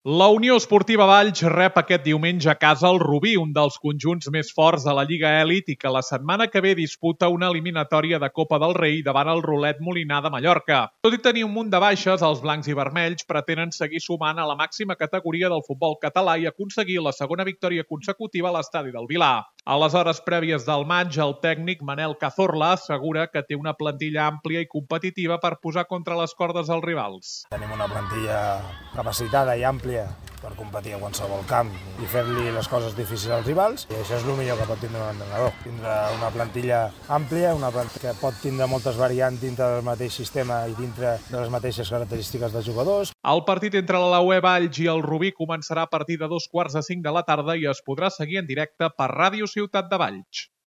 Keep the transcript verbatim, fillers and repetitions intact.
La Unió Esportiva Valls rep aquest diumenge a casa el Rubí, un dels conjunts més forts de la Lliga Elit i que la setmana que ve disputa una eliminatòria de Copa del Rei davant el Rolet Molinar de Mallorca. Tot i tenir un munt de baixes, els blancs i vermells pretenen seguir sumant a la màxima categoria del futbol català i aconseguir la segona victòria consecutiva a l'estadi del Vilar. A les hores prèvies del maig, el tècnic Manel Cazorla assegura que té una plantilla àmplia i competitiva per posar contra les cordes als rivals. Tenim una plantilla capacitada i àmplia per competir a qualsevol camp i fer-li les coses difícils als rivals, i això és el millor que pot tindre un entrenador. Tindre una plantilla àmplia, una plantilla que pot tindre moltes variants dintre del mateix sistema i dintre de les mateixes característiques dels jugadors. El partit entre la U E Valls i el Rubí començarà a partir de dos quarts de cinc de la tarda i es podrà seguir en directe per Ràdio Ciutat de Valls.